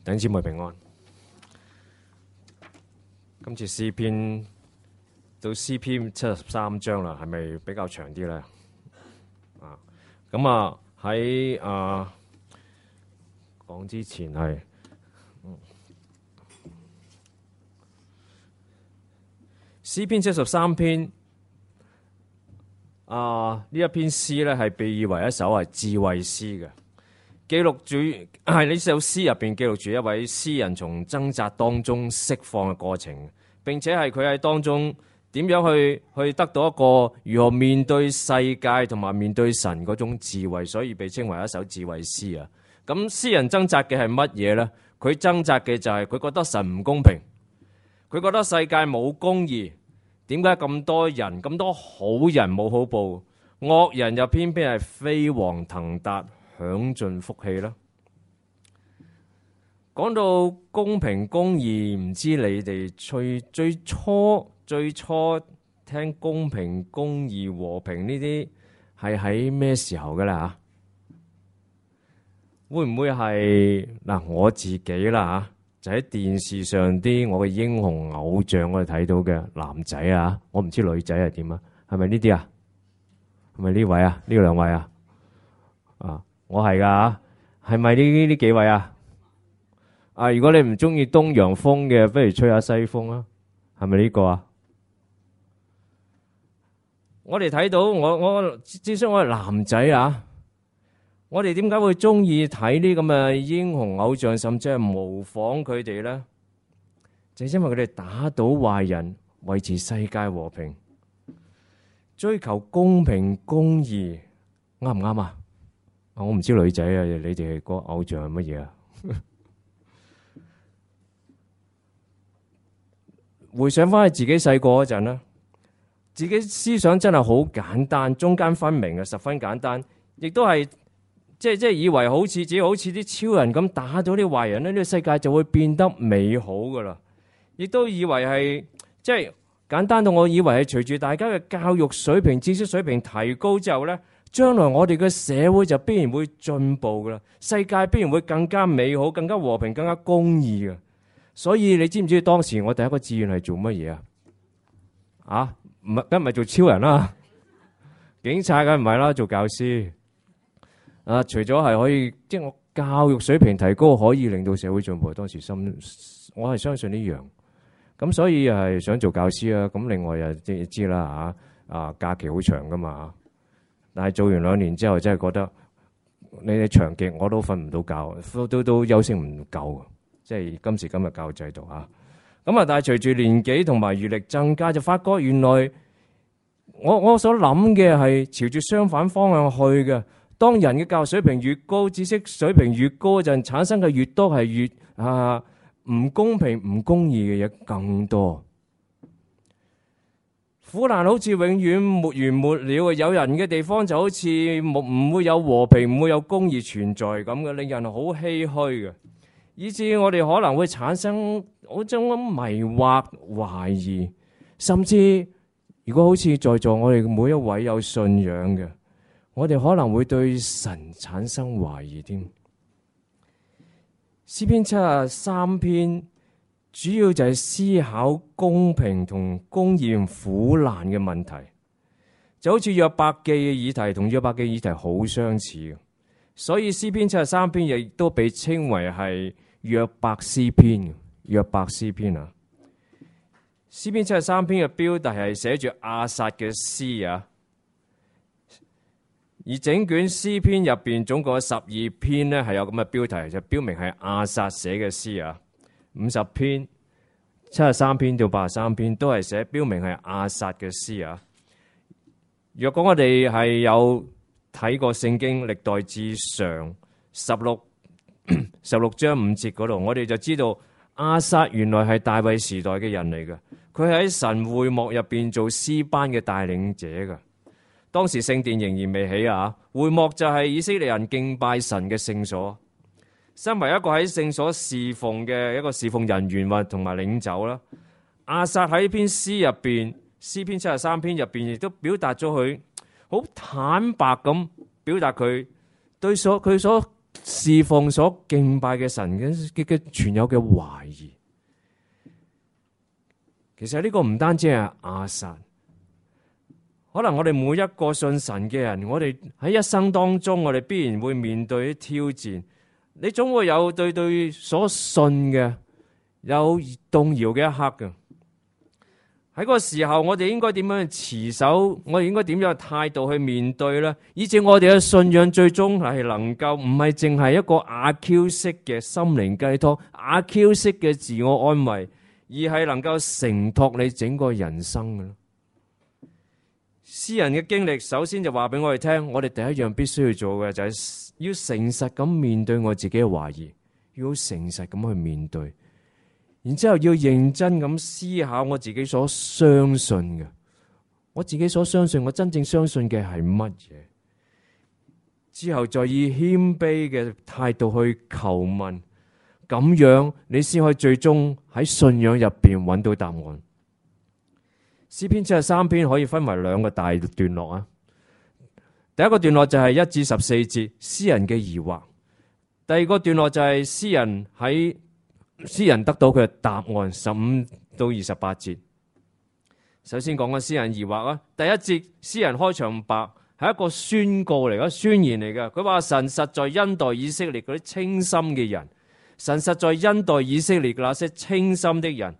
弟兄姊妹平安。今次詩篇到詩篇73章啦，係咪比較長啲咧？咁喺講之前係詩篇73篇呢一篇詩咧係被譽為一首係智慧詩嘅。記錄住係呢首詩入邊記錄住一位詩人從掙扎當中釋放嘅過程，並且係佢喺當中點樣去得到一個如何面對世界同埋面對神嗰種智慧，所以被稱為一首智慧詩啊。咁詩人掙扎嘅係乜嘢呢？佢掙扎嘅就係佢覺得神唔公平，佢覺得世界冇公義，點解咁多人咁多好人冇好報，惡人又偏偏係飛黃騰達享盡福氣啦。講到公平公義，唔知你哋最初聽公平公義和平呢啲係喺咩時候噶啦？會唔會係我自己啦？就喺電視上啲我嘅英雄偶像我哋睇到嘅男仔啊，我唔知女仔係點啊？係咪呢啲啊？係咪呢位啊？呢兩位啊？我係噶，係咪呢幾位啊？如果你唔中意東洋風嘅，不如吹下西風啊？係咪呢個啊？我哋睇到我至少我係男仔啊，我哋點解會中意睇呢咁嘅英雄偶像，甚至係模仿佢哋咧？就係因為佢哋打倒壞人，維持世界和平，追求公平公義，啱唔啱啊？我唔知女仔啊，你哋個偶像係乜嘢啊？回想翻去自己細個嗰陣啦，自己思想真係好簡單，中間分明嘅，十分簡單，亦都係即係以為好似自己好似啲超人咁打到啲壞人咧，呢個世界就會變得美好噶啦。亦都以為係即係簡單到我以為係隨住大家嘅教育水平、知識水平提高之後咧，將來我哋嘅社會就必然會進步噶啦，世界必然會更加美好、更加和平、更加公義嘅。所以你知唔知當時我第一個志願係做乜嘢啊？梗唔係做超人啦，警察梗唔係啦，做教師。除咗係可以，即係我教育水平提高，可以令到社會進步。當時我係相信呢樣。咁所以係想做教師啊。咁另外又知啦假期好長噶嘛。但係做完2年之後，真係覺得你哋長極我都瞓唔到覺，都休息唔夠。即係今時今日教育制度啊。咁但係隨住年紀同埋閱歷增加，就發覺原來我所諗嘅係朝住相反方向去嘅。當人嘅教育水平越高，知識水平越高嗰陣，產生嘅越多係越唔公平、唔公義嘅嘢更多。苦難好似永遠沒完沒了，有人嘅地方就好似唔會有和平、唔會有公義存在咁嘅，令人好唏噓嘅。以致我哋可能會產生嗰種迷惑、懷疑，甚至如果好似在座我哋每一位有信仰嘅，我哋可能會對神產生懷疑添。詩篇73篇主要就係思考公平同公義苦難嘅問題，就好似約伯記嘅議題同約伯記議題好相似嘅，所以詩篇73篇亦都被稱為係約伯詩篇。約伯詩篇啊，詩篇73篇嘅標題係寫住亞薩嘅詩啊。而整卷詩篇入邊總共有12篇呢，係有咁嘅標題，就標明係亞薩寫嘅詩啊。50篇、73篇到83篇都係寫標明係亞薩嘅詩啊。若果我哋係有睇過聖經歷代志上16章5節嗰度，我哋就知道亞薩原來係大衛時代嘅人嚟嘅，佢喺神會幕入邊做詩班嘅帶領者嘅。當時聖殿仍然未起啊，會幕就係以色列人敬拜神嘅聖所。身為一個喺聖所侍奉嘅一個侍奉人員或同埋領袖啦，亞薩喺篇詩入邊，詩篇73篇入邊亦都表達咗佢好坦白咁表達佢對佢所侍奉、所敬拜嘅神嘅存有嘅懷疑。其實呢個唔單止係亞薩，可能我哋每一個信神嘅人，我哋喺一生當中，我哋必然會面對啲挑戰。你總會有對所信嘅有動搖嘅一刻嘅。喺嗰個時候，我哋應該點樣去持守？我哋應該點樣嘅態度去面對呢？以至我哋嘅信仰最終係能夠唔係淨係一個阿 Q 式嘅心靈雞湯、阿 Q 式嘅自我安慰，而係能夠承托你整個人生嘅。詩人嘅經歷，首先就話俾我哋聽，我哋第一樣必須要做嘅就係要誠實咁面對我自己嘅懷疑，要誠實咁去面對。然之後要認真咁思考我自己所相信嘅，我自己所相信，我真正相信嘅係乜嘢？之後再以謙卑嘅態度去求問，咁樣你先可以最終喺信仰入邊揾到答案。詩篇73篇可以分為兩個大段落啊。第一個段落就係1至14節，詩人嘅疑惑；第二個段落就係詩人得到佢嘅答案，15到28節。首先講個詩人疑惑啊。第一節詩人開場白係一個宣告嚟嘅，宣言嚟嘅。佢話神實在恩待以色列嗰啲清心嘅人，神實在恩待以色列那些清心的人。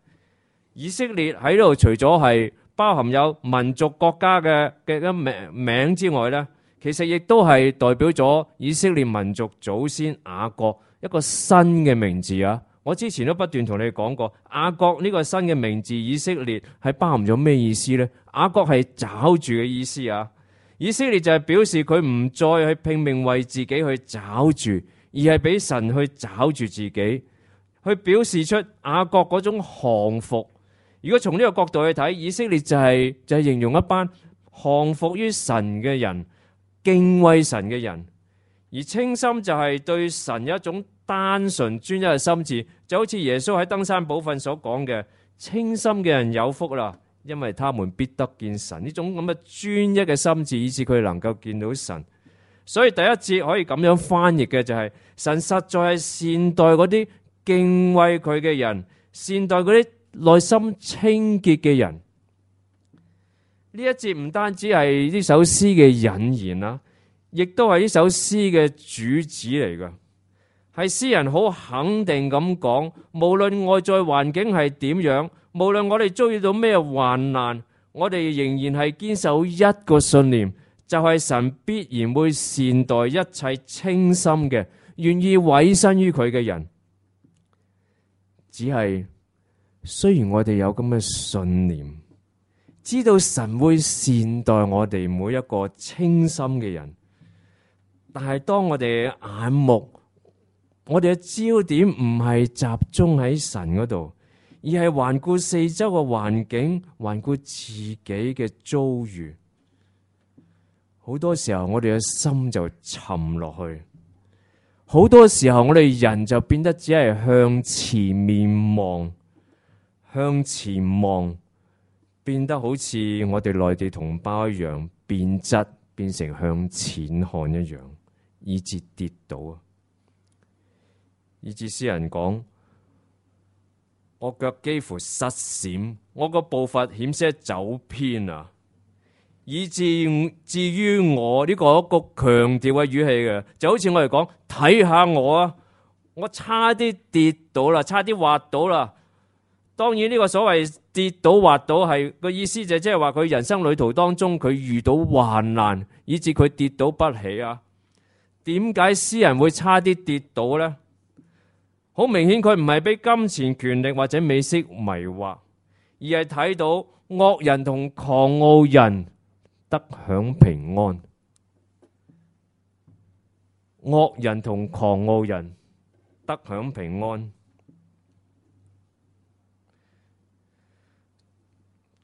以色列喺度除咗係包含有民族國家嘅名之外呢，其實亦都係代表咗以色列民族祖先雅各一個新嘅名字啊。我之前都不斷同你講過，雅各呢個新嘅名字以色列係包含咗咩意思呢？雅各係抓住嘅意思啊。以色列就係表示佢唔再去拼命為自己去抓住，而係俾神去抓住自己，去表示出雅各嗰種降服。如果從呢個角度去睇，以色列就係形容一班降服於神嘅人，敬畏神嘅人。而清心就係對神有一種單純專一嘅心志，就好似耶穌喺登山寶訓所講嘅，清心嘅人有福啦，因為他們必得見神。呢種咁嘅專一嘅心志，以致佢能夠見到神。所以第一節可以咁樣翻譯嘅就係，神實在係善待嗰啲敬畏佢嘅人，善待嗰啲內心清潔嘅人。呢一節唔單止係呢首詩嘅引言啦，亦都係呢首詩嘅主旨嚟㗎。係詩人好肯定咁講，無論外在環境係點樣，無論我哋遭遇到咩患難，我哋仍然係堅守一個信念，就係神必然會善待一切清心嘅，願意委身於佢嘅人。只係雖然我哋有咁嘅信念，知道神會善待我哋每一個清心嘅人，但係當我哋嘅眼目，我哋嘅焦點唔係集中喺神嗰度，而係環顧四周嘅環境，環顧自己嘅遭遇。好多時候我哋嘅心就沉落去，好多時候我哋人就變得只係向前面望，向前望，變得好似我哋內地同胞一樣，變質，變成向前看一樣，以致跌倒啊！以致詩人講，我腳幾乎失閃，我個步伐險些走偏啊！以至於我呢個一個強調嘅語氣嘅，就好似我哋講，睇下我啊，我差啲跌倒啦，差啲滑倒啦。當然呢個所謂跌倒滑倒係個意思就即係話佢人生旅途當中佢遇到患難，以致佢跌倒不起啊。點解詩人會差啲跌倒呢？好明顯佢唔係俾金錢權力或者美色迷惑，而係睇到惡人同狂傲人得享平安。惡人同狂傲人得享平安。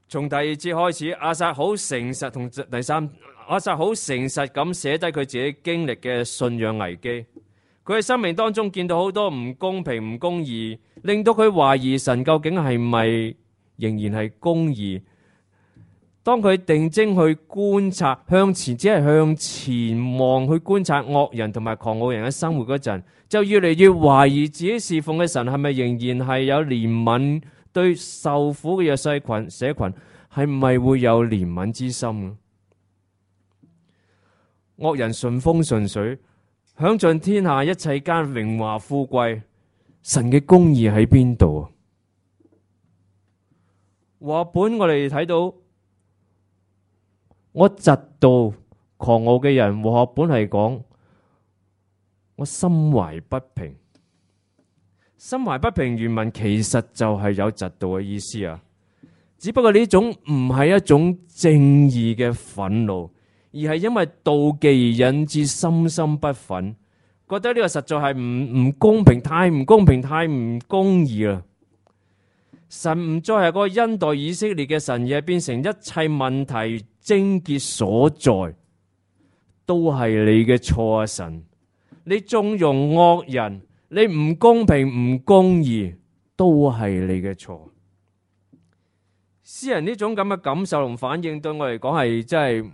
從第二節開始，亞薩好誠實，同第三，亞薩好誠實咁寫低佢自己經歷嘅信仰危機。佢喺生命當中見到好多唔公平、唔公義，令到佢懷疑神究竟係咪仍然係公義。當佢定睛去觀察向前，只係向前望去觀察惡人同埋狂傲人嘅生活嗰陣，就越嚟越懷疑自己侍奉嘅神係咪仍然係有憐憫，對受苦嘅弱勢群社群係咪會有憐憫之心？惡人順風順水，享盡天下一切間榮華富貴，神嘅公義喺邊度啊？話本我哋睇到，我嫉妒狂傲嘅人，話本係講我心懷不平。心懷不平原文其實就係有嫉妒嘅意思啊，只不過呢種唔係一種正義嘅憤怒，而係因為妒忌而引致深深不忿，覺得呢個實在係唔公平，太唔公平，太唔公義啦。神唔再係個恩待以色列嘅神，而係變成一切問題症結所在，都係你嘅錯啊！神，你縱容惡人，你唔公平唔公義，都係你嘅錯。詩人呢種咁嘅感受同反應，對我嚟講係真係，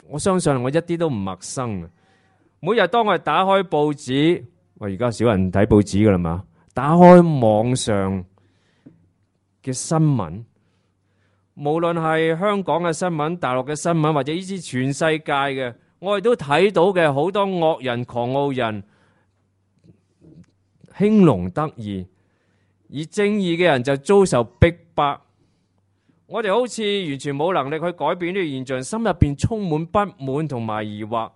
我相信我一啲都唔陌生。每日當我哋打開報紙，我而家少人睇報紙噶啦嘛，打開網上嘅新聞，無論係香港嘅新聞、大陸嘅新聞，或者呢啲全世界嘅，我哋都睇到嘅好多惡人、狂傲人興隆得意，而正義嘅人就遭受逼迫。我哋好似完全冇能力去改變呢個現象，心入邊充滿不滿同埋疑惑。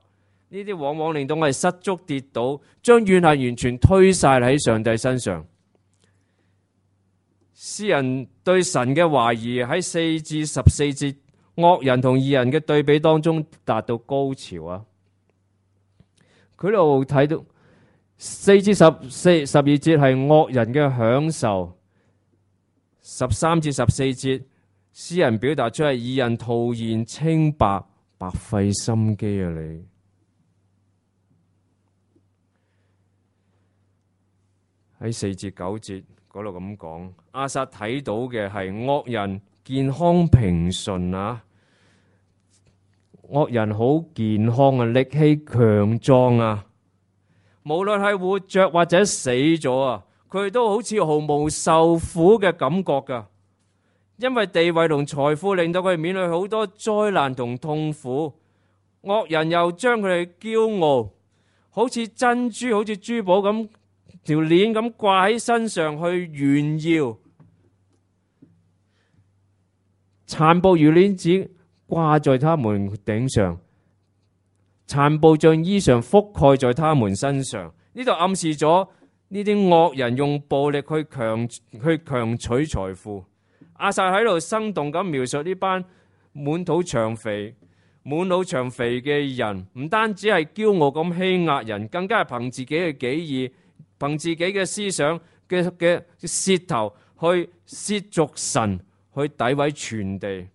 呢啲往往令到我哋失足跌倒，將怨恨完全推晒喺上帝身上。詩人對神嘅懷疑喺4至14節惡人同義人嘅對比當中達到高潮啊！佢度睇到4至12節係惡人嘅享受，13至14節詩人表達出係義人徒然清白，白費心機啊！你喺4至9節嗰度咁講，亞薩睇到嘅係惡人健康平順啊，惡人好健康啊，力氣強壯啊，無論係活着或者死咗啊，佢哋都好似毫無受苦嘅感覺噶，因為地位同財富令到佢哋面對好多災難同痛苦，惡人又將佢哋驕傲，好似珍珠，好似珠寶咁，條鏈咁掛喺身上去炫耀，殘暴如鏈子掛在他們頂上，殘暴像衣裳覆蓋在他們身上。呢度暗示咗呢啲惡人用暴力去強取財富。亞薩喺度生動咁描述呢班滿腦長肥嘅人，唔單止係驕傲咁欺壓人，更加係憑自己嘅己意，憑自己嘅思想嘅舌頭去褻瀆神，去詆毀全地。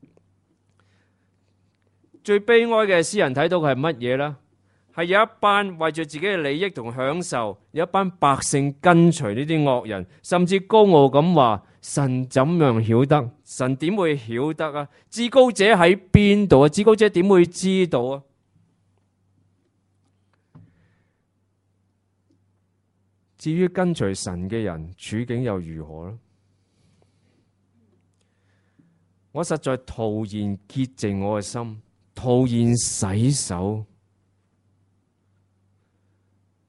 最悲哀嘅詩人睇到嘅係乜嘢呢？係有一班為住自己嘅利益同享受，有一班百姓跟隨呢啲惡人，甚至高傲咁話：神怎樣曉得？神點會曉得啊？至高者喺邊度啊？至高者點會知道啊？至於跟隨神嘅人，處境又如何呢？我實在徒然潔淨我嘅心，徒然洗手。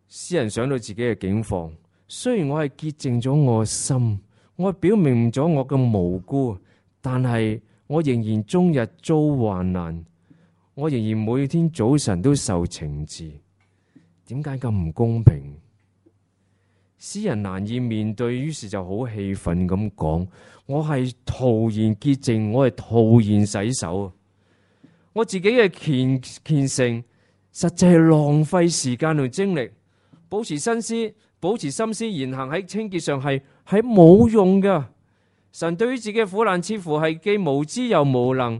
詩人想到自己嘅境況，雖然我係潔淨咗我嘅心，我表明咗我嘅無辜，但係我仍然終日遭患難，我仍然每天早晨都受懲治。點解咁唔公平？詩人難以面對，於是就好氣憤咁講：我係徒然潔淨，我係徒然洗手。我自己嘅虔誠實際係浪費時間同精力，保持心思言行喺清潔上係冇用噶。神對於自己嘅苦難似乎係既無知又無能，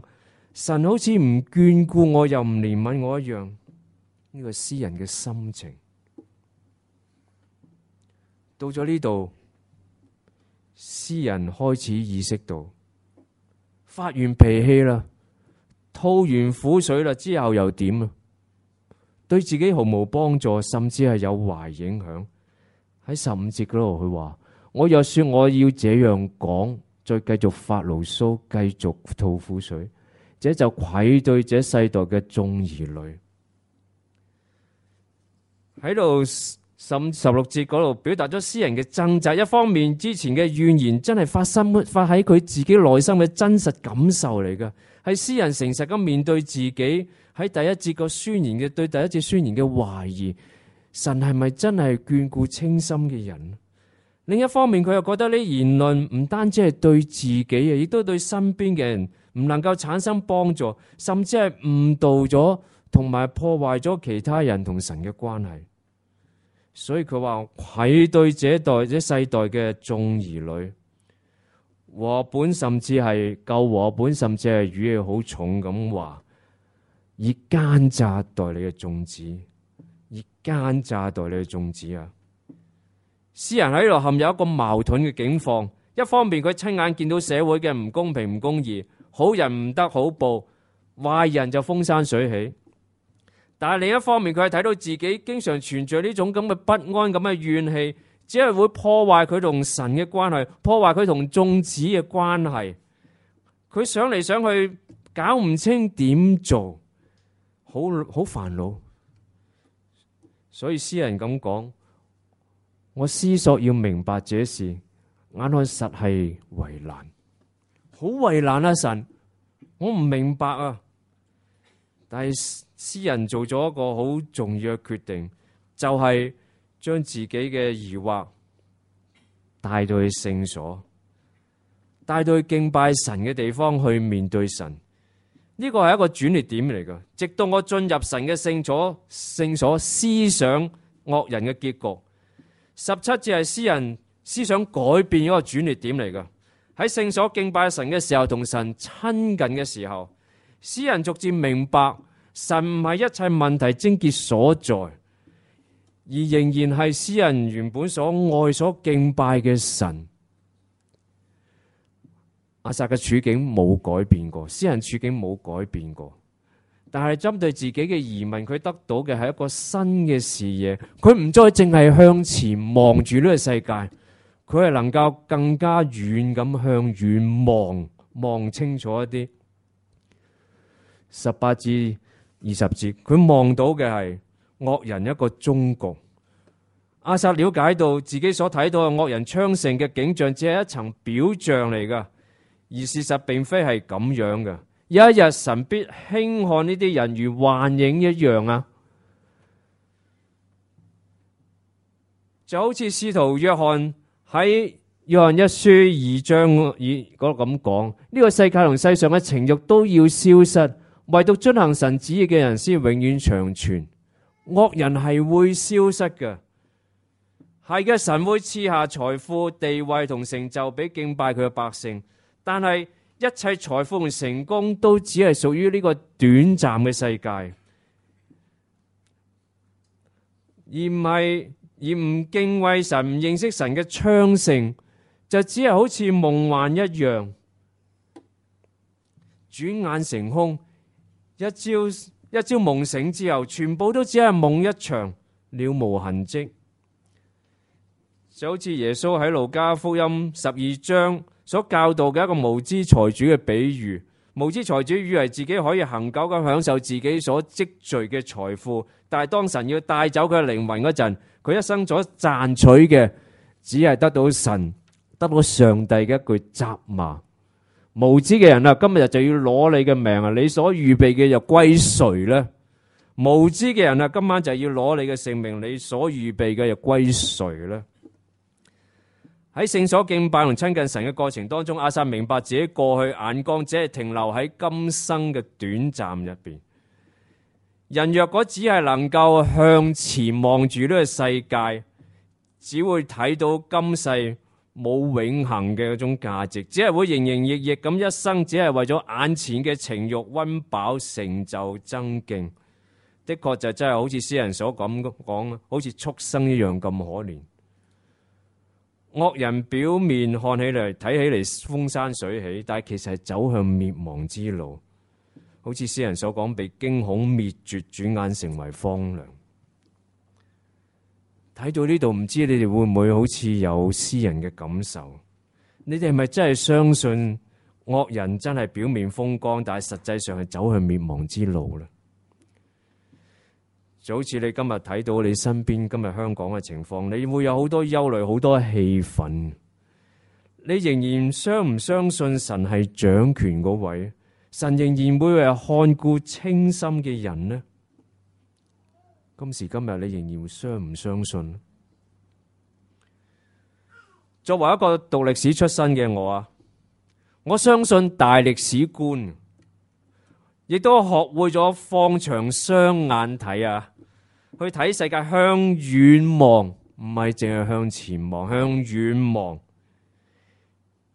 神好似唔眷顧我又唔憐憫我一樣。呢個詩人嘅心情到咗呢度，詩人開始意識到發完脾氣啦，吐完苦水啦，之後又點啊？對自己毫無幫助，甚至係有壞影響。喺15節嗰度佢話：我若說我要這樣講，再繼續發牢騷，繼續吐苦水，這就愧對這世代嘅眾兒女。喺度16節嗰度表達咗詩人嘅掙扎，一方面之前嘅怨言真係發喺佢自己內心嘅真實感受嚟㗎，係詩人誠實咁面對自己喺第一節個宣言嘅對第一節宣言嘅懷疑，神係咪真係眷顧清心嘅人？另一方面佢又覺得呢言論唔單止係對自己啊，亦都對身邊嘅人唔能夠產生幫助，甚至係誤導咗同埋破壞咗其他人同神嘅關係。所以佢話愧對這世代嘅眾兒女，和本甚至係舊和本，甚至係語氣好重咁話，以奸詐待你嘅眾子，以奸詐待你嘅眾子啊！詩人喺度陷入一個矛盾嘅境況，一方面佢親眼見到社會嘅唔公平唔公義，好人唔得好報，壞人就風生水起。但係另一方面，佢係睇到自己經常存在呢種咁嘅不安、咁嘅怨氣，只係會破壞佢同神嘅關係，破壞佢同眾子嘅關係。佢想嚟想去，搞唔清點做，好煩惱。所以詩人咁講：我思索要明白這事，眼看實係為難，好為難啊！神，我唔明白啊！但係詩人做咗一個好重要嘅決定，就係將自己嘅疑惑帶到去聖所，帶到去敬拜神嘅地方去面對神。呢個係一個轉捩點嚟㗎。直到我進入神嘅聖所思想惡人嘅結局。17節係詩人思想改變一個轉捩點嚟㗎。喺聖所敬拜神嘅時候，同神親近嘅時候，詩人逐漸明白神唔係一切問題症結所在，而仍然係詩人原本所愛所敬拜嘅神。亞薩嘅處境冇改變過，詩人處境冇改變過，但係針對自己嘅疑問，佢得到嘅係一個新嘅視野。佢唔再淨係向前望住呢個世界，佢係能夠更加遠咁向遠望清楚一啲。18至20節，佢望到嘅係惡人一個終局。亞薩了解到自己所睇到嘅惡人昌盛嘅景象，只係一層表象嚟噶。而事實並非係咁樣嘅，有一日神必輕看呢啲人如幻影一樣啊！就好似使徒約翰喺約翰一書2章嗰度咁講，呢個世界同世上嘅情慾都要消失，唯獨遵行神旨意嘅人先永遠長存。惡人係會消失嘅，係嘅，神會賜下財富、地位同成就俾敬拜佢嘅百姓。但係一切財富同成功都只係屬於呢個短暫嘅世界，而唔敬畏神、唔認識神嘅昌盛，就只係好似夢幻一樣，轉眼成空。一朝夢醒之後，全部都只係夢一場，了無痕跡。就好似耶穌喺路加福音12章所教導嘅一個無知財主嘅比喻。無知財主以為自己可以恆久咁享受自己所積聚嘅財富，但係當神要帶走佢嘅靈魂嗰陣，佢一生所賺取嘅只係得到上帝嘅一句責罵。無知嘅人啊，今日就要攞你嘅命啊！你所預備嘅又歸誰呢？無知嘅人啊，今晚就要攞你嘅性命，你所預備嘅又歸誰呢？喺聖所敬拜同親近神嘅過程當中，亞薩明白自己過去眼光只係停留喺今生嘅短暫入邊。人若果只係能夠向前望住呢個世界，只會睇到今世冇永恆嘅嗰種價值，只係會營營役役咁一生，只係為咗眼前嘅情慾溫飽、成就、增勁。的確就真係好似詩人所講，好似畜生一樣咁可憐。惡人表面看起嚟睇起嚟風生水起，但係其實係走向滅亡之路。好似詩人所講，被驚恐滅絕，轉眼成為荒涼。睇到呢度，唔知你哋會唔會好似有詩人嘅感受？你哋係咪真係相信惡人真係表面風光，但係實際上係走向滅亡之路呢？就好似你今日睇到你身邊今日香港嘅情況，你會有好多憂慮，好多氣憤。你仍然相唔相信神係掌權嗰位？神仍然會係看顧清心嘅人呢？今時今日你仍然相唔相信？作為一個讀歷史出身嘅我相信大歷史觀，亦都學會咗放長雙眼睇去睇世界，向遠望，唔係淨係向前望，向遠望。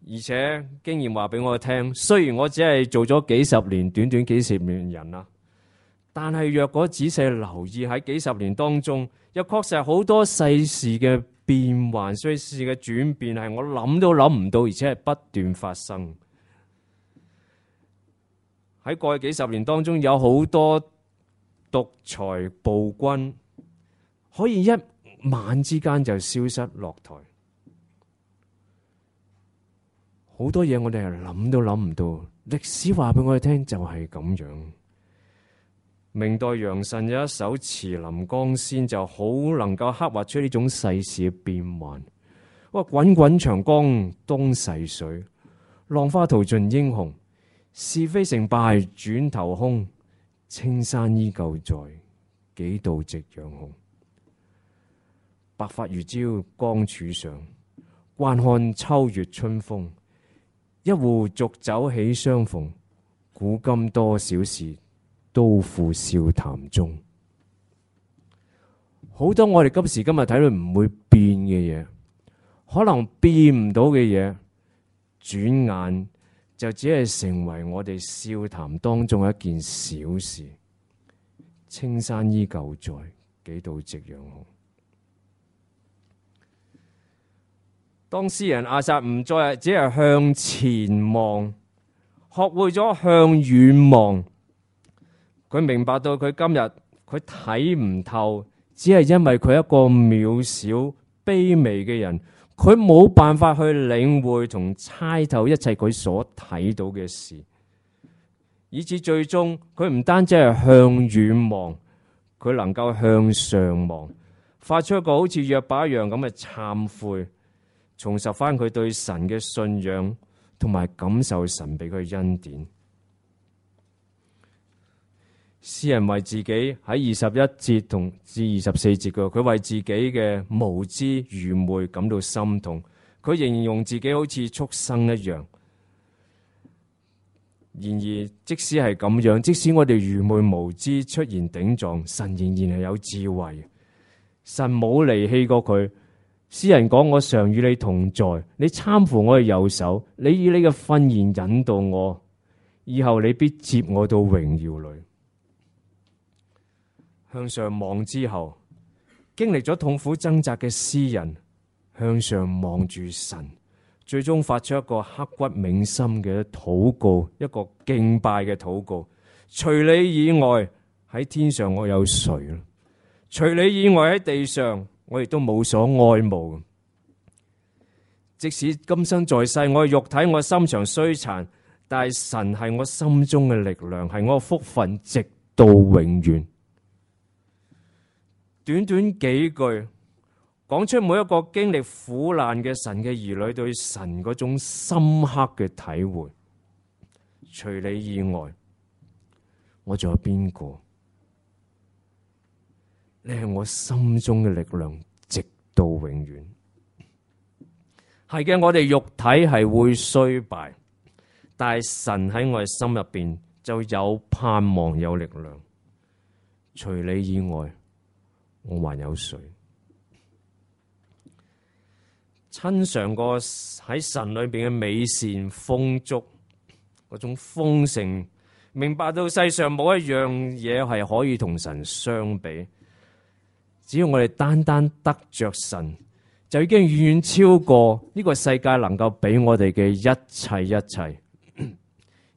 而且經驗話俾我聽，雖然我只係做咗幾十年，短短幾十年人啦，但係若果仔細留意喺幾十年當中，又確實係好多世事嘅變幻，世事嘅轉變係我諗都諗唔到，而且係不斷發生。喺過去幾十年當中，有好多獨裁暴君可以一晚之間就消失落台。好多嘢我哋係諗都諗唔到，歷史話俾我哋聽就係咁樣。明代楊慎有一首《慈臨江仙》，就好能夠刻畫出呢種世事嘅變幻。哇！滾滾長江東逝水，浪花淘盡英雄。是非成敗轉頭空，青山依舊在，幾度夕陽紅。白髮如朝江柱上，慣看秋月春風。一壺濁酒喜相逢，古今多少事，都付笑談中。好多我哋今時今日睇到唔會變嘅嘢，可能變唔到嘅嘢，轉眼就只係成為我哋笑談當中一件小事。青山依舊在，幾度夕陽紅。當詩人亞薩唔再只係向前望，學會咗向遠望，佢明白到佢今日佢睇唔透，只係因為佢一個渺小卑微嘅人，佢冇辦法去領會同猜透一切佢所睇到嘅事，以至最終佢唔單止係向遠望，佢能夠向上望，發出一個好似約伯一樣咁嘅懺悔，重拾翻佢對神嘅信仰，同埋感受神俾佢恩典。詩人為自己喺21節同至24節嘅，佢為自己嘅無知愚昧感到心痛。佢形容自己好似畜生一樣。然而，即使係咁樣，即使我哋愚昧無知出現頂撞，神仍然係有智慧。神冇離棄過佢。詩人講：我常與你同在，你攙扶我嘅右手，你以你嘅訓言引導我，以後你必接我到榮耀裏。向上望之後，經歷咗痛苦掙扎嘅詩人向上望住神，最終發出一個刻骨銘心嘅禱告，一個敬拜嘅禱告。除你以外，喺天上我有誰？除你以外，喺地上我亦都冇所愛慕。即使今生在世，我嘅肉體我心腸衰殘，但係神係我心中嘅力量，係我嘅福分，直到永遠。短短幾句講出每一個經歷苦難嘅神嘅兒女對神嗰種深刻嘅體會。除你以外，我仲有邊個？你係我心中嘅力量，直到永遠。係嘅，我哋肉體係會衰敗，但係神喺我哋心入邊就有盼望，有力量。除你以外，我還有誰？親嘗過喺神裏邊嘅美善豐足，嗰種豐盛，明白到世上冇一樣嘢係可以同神相比。只要我哋單單得着神，就已經遠遠超過呢個世界能夠俾我哋嘅一切一切。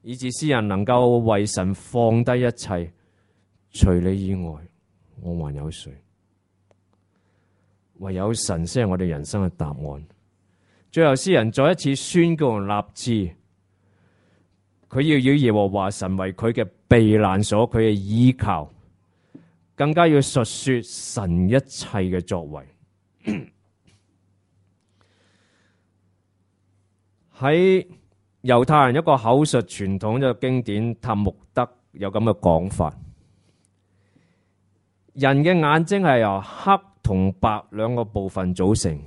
以致詩人能夠為神放低一切，除你以外，我還有誰？唯有神先係我哋人生嘅答案。最後詩人再一次宣告立志，佢要以耶和華神為佢嘅避難所，佢嘅依靠，更加要述說神一切嘅作為。喺猶太人一個口述傳統嘅經典塔木德有咁嘅講法：人嘅眼睛係由黑同白兩個部分組成。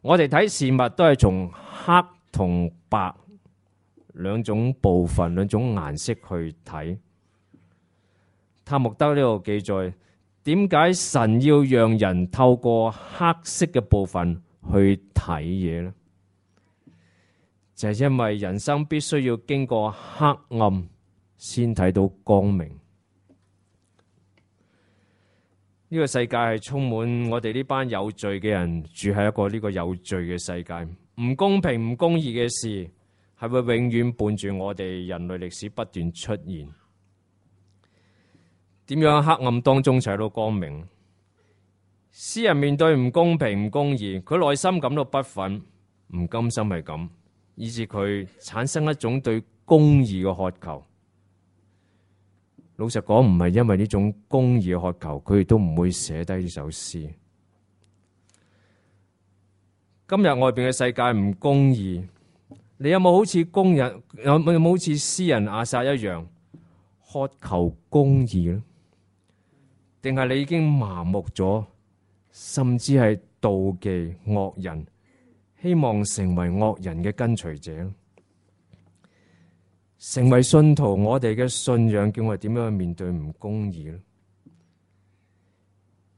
我哋睇事物都係從黑同白兩種部分、兩種顏色去睇。塔木德呢度記載，點解神要讓人透過黑色嘅部分去睇嘢呢？就係因為人生必須要經過黑暗先睇到光明。呢個世界係充滿我哋呢班有罪嘅人，住喺一個呢個有罪嘅世界。唔公平、唔公義嘅事係會永遠伴住我哋人類歷史不斷出現。點樣喺黑暗當中睇到光明？詩人面對唔公平、唔公義，佢內心感到不忿、唔甘心係咁，以致佢產生一種對公義嘅渴求。老實講，唔係因為呢種公義嘅渴求，佢亦都唔會寫低呢首詩。今日外邊嘅世界唔公義，你有冇好似有冇好似詩人亞薩一樣渴求公義呢？定係你已經麻木咗，甚至係妒忌惡人，希望成為惡人嘅跟隨者？成為信徒，我哋嘅信仰叫我哋點樣去面對唔公義呢？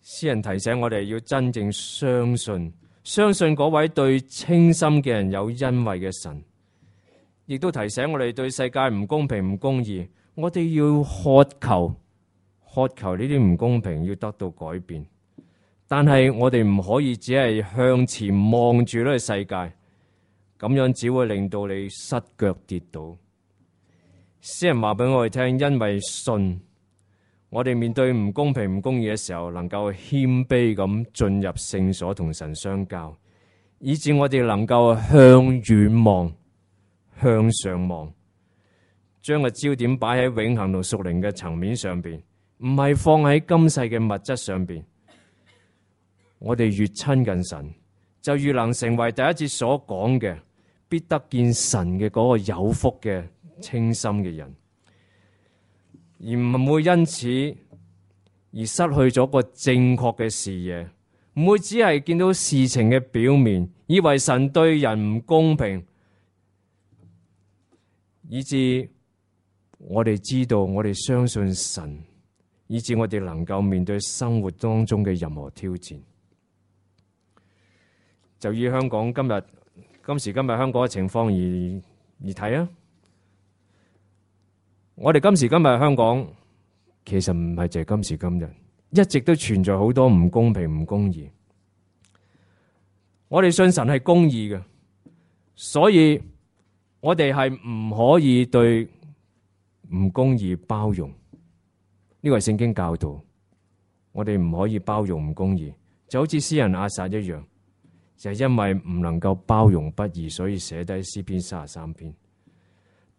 詩人提醒我哋要真正相信嗰位對清心嘅人有恩惠嘅神，亦都提醒我哋對世界唔公平、唔公義，我哋要渴求呢啲唔公平要得到改變。但係我哋唔可以只係向前望住呢個世界，咁樣只會令到你失腳跌倒。詩人話俾我哋聽，因為信，我哋面對唔公平、唔公義嘅時候，能夠謙卑咁進入聖所同神相交，以致我哋能夠向遠望、向上望，將個焦點擺喺永恆同屬靈嘅層面上邊，唔係放喺今世嘅物質上邊。我哋越親近神，就越能成為第一節所講嘅必得見神嘅嗰個有福嘅清心嘅人，而唔會因此而失去咗個正確嘅視野，唔會只係見到事情嘅表面，以為神對人唔公平，以致我哋知道，我哋相信神，以致我哋能夠面對生活當中嘅任何挑戰。就以香港今時今日香港嘅情況而睇啊！我哋今時今日香港其實唔係淨係今時今日，一直都存在好多唔公平、唔公義。我哋信神係公義嘅，所以我哋係唔可以對唔公義包容。呢個係聖經教導，我哋唔可以包容唔公義，就好似詩人亞薩一樣，就係因為唔能夠包容不義，所以寫低詩篇33篇。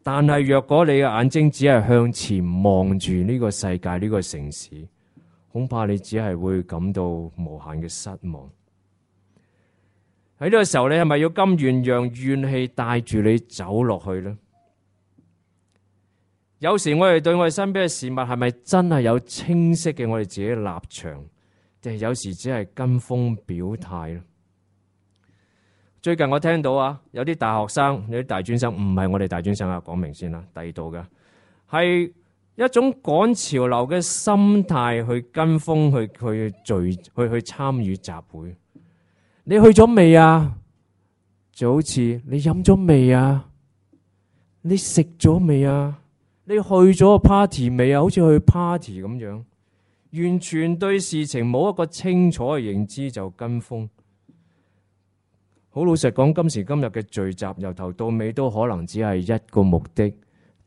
但係若果你嘅眼睛只係向前望住呢個世界、呢個城市，恐怕你只係會感到無限嘅失望。喺呢個時候，你係咪要甘願讓怨氣帶住你走落去呢？有時我哋對我哋身邊嘅事物係咪真係有清晰嘅我哋自己嘅立場，定係有時只係跟風表態呢？最近我聽到有啲大學生、有啲大專生，唔係我哋大專生啊，講明先啦，第二度嘅係一種趕潮流嘅心態去跟風去參與集會。你去咗未啊？就好似你飲咗未啊？你食咗未啊？你去咗個 party 未啊？好似去 party 咁樣，完全對事情冇一個清楚嘅認知就跟風。好老實講，今時今日嘅聚集由頭到尾都可能只係一個目的，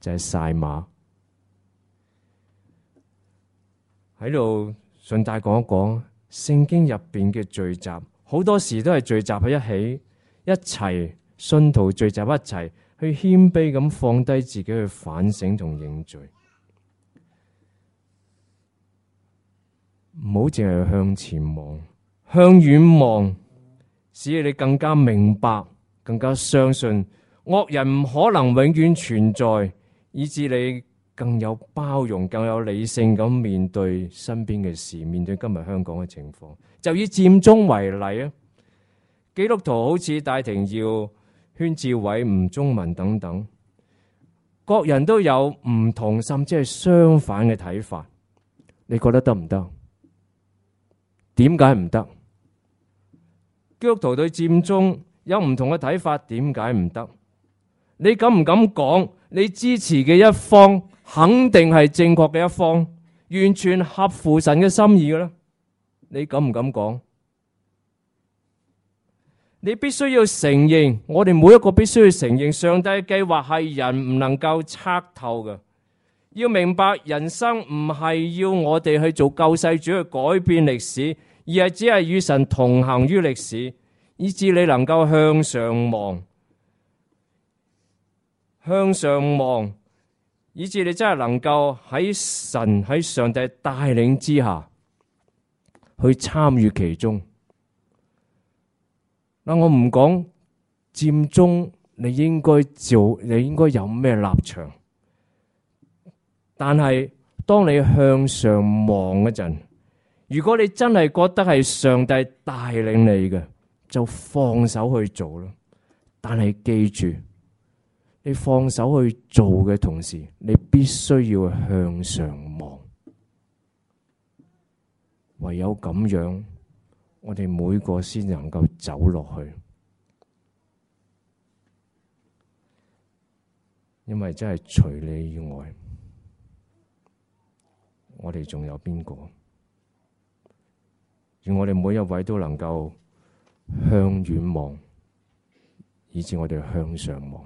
就係賽馬。喺度順帶講一講，聖經入邊嘅聚集，好多時都係聚集喺一起，一齊信徒聚集一齊去謙卑咁放低自己去反省同認罪，唔好淨係向前望，向遠望，使你更加明白，更加相信惡人唔可能永遠存在，以致你更有包容、更有理性咁面對身邊嘅事，面對今日香港嘅情況。就以佔中為例啊，基督徒好似戴廷耀、禤志偉、吳宗文等等，各人都有唔同甚至係相反嘅睇法。你覺得得唔得？點解唔得？基督徒對佔中有唔同嘅睇法，點解唔得？你敢唔敢講？你支持嘅一方肯定係正確嘅一方，完全合乎神嘅心意嘅咧？你敢唔敢講？你必須要承認，我哋每一個必須要承認，上帝嘅計劃係人唔能夠測透嘅。要明白，人生唔係要我哋去做救世主去改變歷史，而係只係與神同行於歷史，以致你能夠向上望，向上望，以致你真係能夠喺神喺上帝帶領之下去參與其中。嗱，我唔講佔中你應該做，你應該有咩立場，但係當你向上望嗰陣，如果你真係覺得係上帝帶領你嘅，就放手去做咯。但係記住，你放手去做嘅同時，你必須要向上望。唯有咁樣，我哋每個先能夠走落去。因為真係除你以外，我哋仲有邊個？願我哋每一位都能夠向遠望，以致我哋向上望。